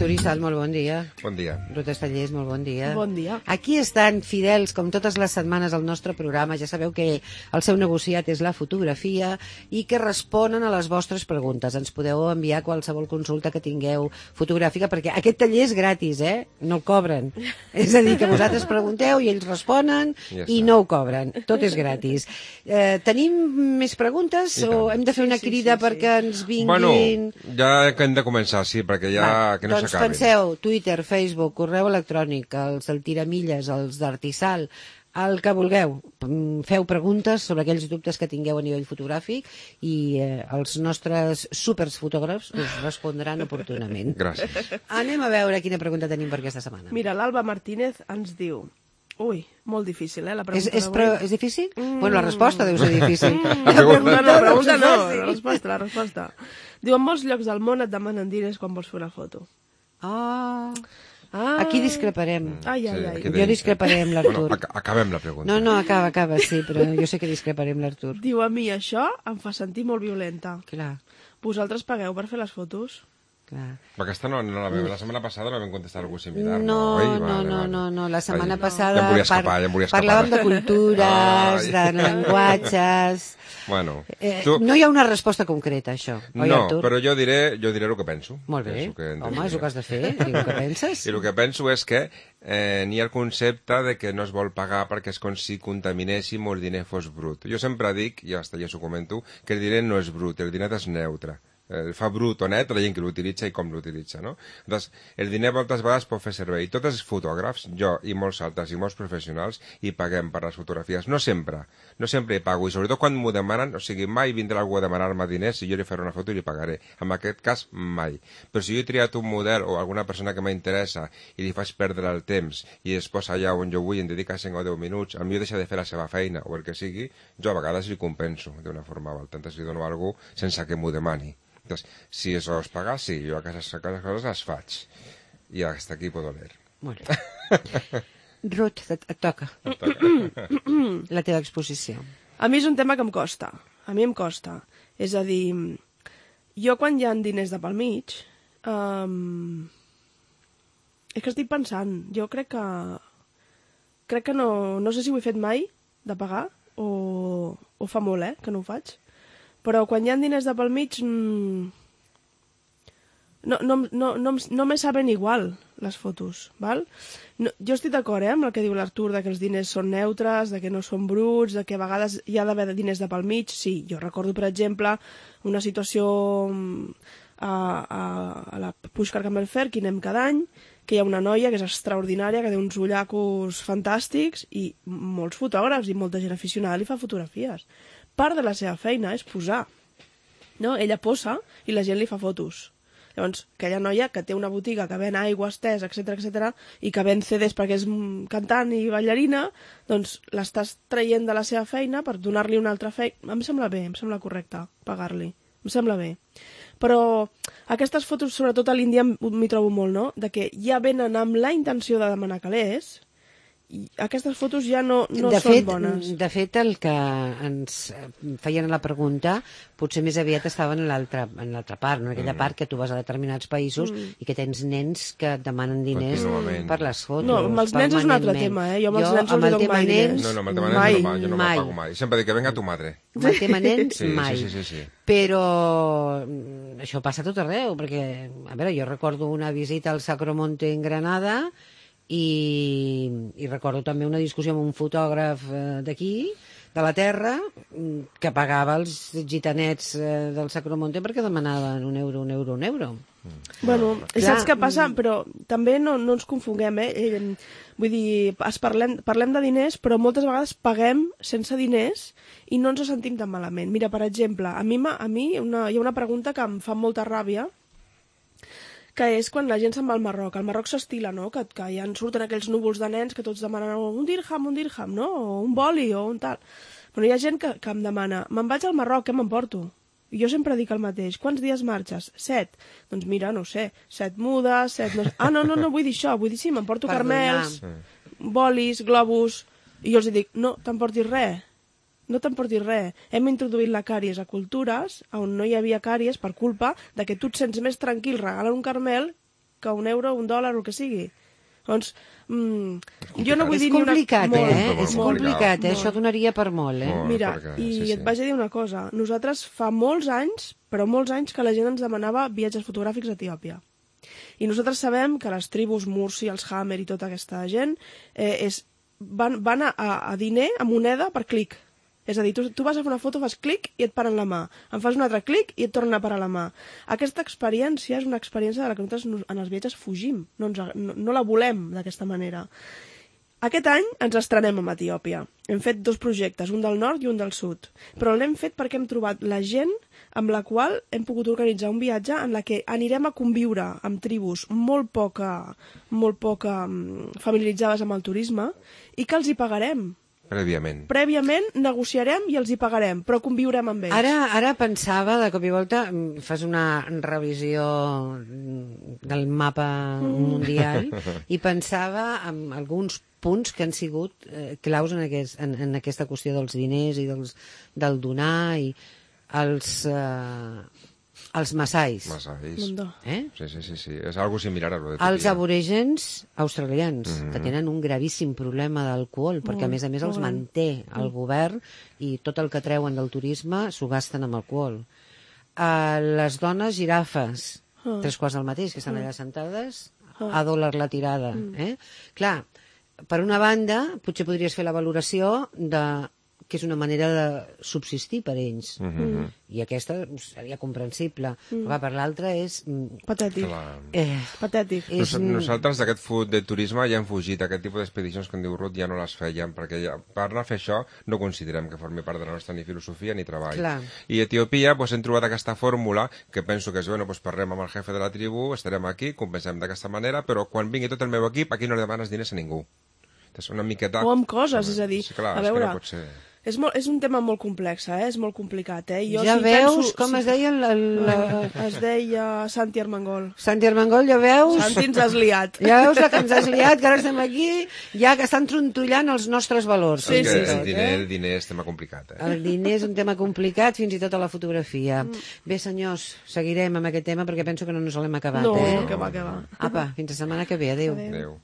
Artur Issal, molt bon dia. Bon dia. Ruth Estallés, molt bon dia. Bon dia. Aquí estan fidels, com totes les setmanes, al nostre programa. Ja sabeu que el seu negociat és la fotografia i que responen a les vostres preguntes. Ens podeu enviar qualsevol consulta que tingueu fotogràfica, perquè aquest taller és gratis, no el cobren. És a dir, que vosaltres pregunteu i ells responen i no ho cobren. Tot és gratis. Tenim més preguntes o hem de fer una crida perquè ens vinguin... Bueno, ja que hem de començar, sí, perquè ja que no doncs s'acabin. penseu, Twitter, Facebook, correu electrònic, els del Tiramilles, els d'Artisal, el que vulgueu. Feu preguntes sobre aquells dubtes que tingueu a nivell fotogràfic i els nostres superfotògrafs us respondran oportunament. Gràcies. Anem a veure quina pregunta tenim per aquesta setmana. Mira, l'Alba Martínez ens diu... Ui, molt difícil, la pregunta És difícil? Bueno, la resposta deu ser difícil. La pregunta no, la resposta. Diu, en molts llocs del món et demanen diners quan vols fer una foto. Aquí discreparem. Ai. Jo discreparé amb l'Artur. Bueno, acabem la pregunta. No, acaba, sí, però jo sé que discreparé amb l'Artur. Diu, a mi això em fa sentir molt violenta. Clar. Vosaltres pagueu per fer les fotos? Clar. Aquesta no la vam... La setmana passada la vam contestar algú similar. No, la setmana passada ja em volia escapar. Parlàvem de cultures, de llenguatges... Bueno, no hi ha una resposta concreta, això, oi, Artur? No, però jo diré el que penso. Molt bé, home, és el que has de fer, dir el que penses. I el que penso és que n'hi ha el concepte de que no es vol pagar perquè és com si contaminéssim o el diner fos brut. Jo sempre dic, i ja s'ho comento, que el diner no és brut, el diner és neutre. Fa brut o net la gent que l'utilitza i com l'utilitza, no? Doncs el diner moltes vegades pot fer servei. Tots els fotògrafs, jo i molts altres i molts professionals, hi paguem per les fotografies. No sempre hi pago, i sobretot quan m'ho demanen, o sigui, mai vindrà algú a demanar-me diners i jo li faré una foto i li pagaré. En aquest cas, mai. Però si jo he triat un model o alguna persona que m'interessa i li faig perdre el temps i es posa allà on jo vull i em dedica 5 o 10 minuts, potser deixa de fer la seva feina o el que sigui, jo a vegades li compenso d'una forma o altra. Entonces li dono alguna cosa sense que m'ho demani. Entonces, si eso es pagar, sí, yo a aquestes coses les faig. I hasta aquí puedo leer. Molt bé. Ruth, et toca. La teva exposició. A mi és un tema que em costa. A mi em costa. És a dir, jo quan hi ha diners de pel mig, és que estic pensant, jo crec que no sé si ho he fet mai, de pagar, o fa molt, que no ho faig. Però quan hi ha diners de pel mig no me saben igual les fotos, val? No, jo estic d'acord amb el que diu l'Artur, que els diners són neutres, que no són bruts, que a vegades hi ha d'haver diners de pel mig. Sí, jo recordo, per exemple, una situació a la Puigcar Camel Fair, que hi anem cada any, que hi ha una noia que és extraordinària, que té uns ullacos fantàstics, i molts fotògrafs i molta gent aficionada li fa fotografies. Part de la seva feina és posar. No? Ella posa i la gent li fa fotos. Llavors, aquella noia que té una botiga que ven aigües, tés, etc, i que ven CDs perquè és cantant i ballarina, doncs l'estàs traient de la seva feina per donar-li una altra feina. Em sembla bé, em sembla correcte pagar-li. Em sembla bé. Però aquestes fotos, sobretot a l'Índia, m'hi trobo molt, no? De que ja venen amb la intenció de demanar calés, i aquestes fotos ja no són bones. De fet, el que ens feien a la pregunta potser més aviat estaven en l'altra part, no? En aquella part que tu vas a determinats països i que tens nens que et demanen diners per les fotos. No, amb els nens és un altre tema, Jo amb els nens no els dono mai diners. No, amb el tema nens jo no me'l pago mai. Sempre dic que venga tu madre. Amb el tema nens, mai. Sí. Però això passa a tot arreu, perquè, a veure, jo recordo una visita al Sacromonte en Granada i recordo també una discussió amb un fotògraf d'aquí, de la terra, que pagava els gitanets del Sacromonte perquè demanaven un euro. Bueno, saps què passa? Però també no ens confonguem, Vull dir, parlem de diners, però moltes vegades paguem sense diners i no ens ho sentim tan malament. Mira, per exemple, a mi hi ha una pregunta que em fa molta ràbia, que és quan la gent se'n va al Marroc. Al Marroc s'estila, no?, que ja en surten aquells núvols de nens que tots demanen un dirham, no?, o un boli, o un tal. Però hi ha gent que em demana, me'n vaig al Marroc, què m'emporto? I jo sempre dic el mateix, quants dies marxes? 7. Doncs mira, no sé, 7 mudes, 7... No vull dir això, vull dir sí, m'emporto carmels, bolis, globus... I jo els dic, no t'emportis res. No t'emportis res. Hem introduït la càries a cultures on no hi havia càries per culpa de que tu et sents més tranquil regalant un carmel que €1, $1, el que sigui. Doncs, jo no vull És dir ni una... complicat, És molt complicat, molt. Això donaria per molt, Molt. Mira, perquè, i et vaig a dir una cosa. Nosaltres fa molts anys, però molts anys, que la gent ens demanava viatges fotogràfics a Etiòpia. I nosaltres sabem que les tribus Mursi, els Hammer i tota aquesta gent van a diner, a moneda, per clic. És a dir, tu vas a fer una foto, fas clic i et paren la mà. En fas un altre clic i et tornen a parar la mà. Aquesta experiència és una experiència de la que nosaltres en els viatges fugim. No la volem d'aquesta manera. Aquest any ens estrenem amb Etiòpia. Hem fet 2 projectes, un del nord i un del sud. Però l'hem fet perquè hem trobat la gent amb la qual hem pogut organitzar un viatge en la que anirem a conviure amb tribus molt poc familiaritzades amb el turisme i que els hi pagarem. Prèviament negociarem i els hi pagarem, però conviurem amb ells. Ara pensava, de cop i volta, fas una revisió del mapa mundial i pensava en alguns punts que han sigut claus en aquesta qüestió dels diners i del donar i els massais. Sí. És algo similar a lo de Etiòpia. Els aborígens australians, que tenen un gravíssim problema d'alcohol, perquè a més els manté el govern i tot el que treuen del turisme s'ho gasten amb alcohol. Les dones girafes, 3/4 del mateix, que estan allà sentades, a $1 la tirada. Clar, per una banda, potser podries fer la valoració que és una manera de subsistir per ells. I aquesta seria comprensible. Però per l'altra és... Patètic. Patètic. Nosaltres d'aquest fut de turisme ja hem fugit. Aquest tipus d'expedicions, com diu Ruth, ja no les fèiem, perquè per anar a fer això no considerem que formi part de la nostra ni filosofia ni treball. Clar. I a Etiòpia hem trobat aquesta fórmula que penso que és, parlem amb el jefe de la tribu, estarem aquí, compensem d'aquesta manera, però quan vingui tot el meu equip, aquí no li demanes diners a ningú. Una miqueta... O amb coses, és a dir, a veure... No pot ser... És un tema molt complex, és molt complicat. Jo ja veus com es deia es deia Santi Armengol. Santi Armengol, ja veus? Santi ens has liat. Ja veus que ens has liat, que ara estem aquí, ja que estan trontollant els nostres valors. Sí. El diner és tema complicat. El diner és un tema complicat, fins i tot a la fotografia. Bé, senyors, seguirem amb aquest tema perquè penso que no ens l'hem acabat. No, que va. Apa, fins la setmana que ve. Adéu. Adéu.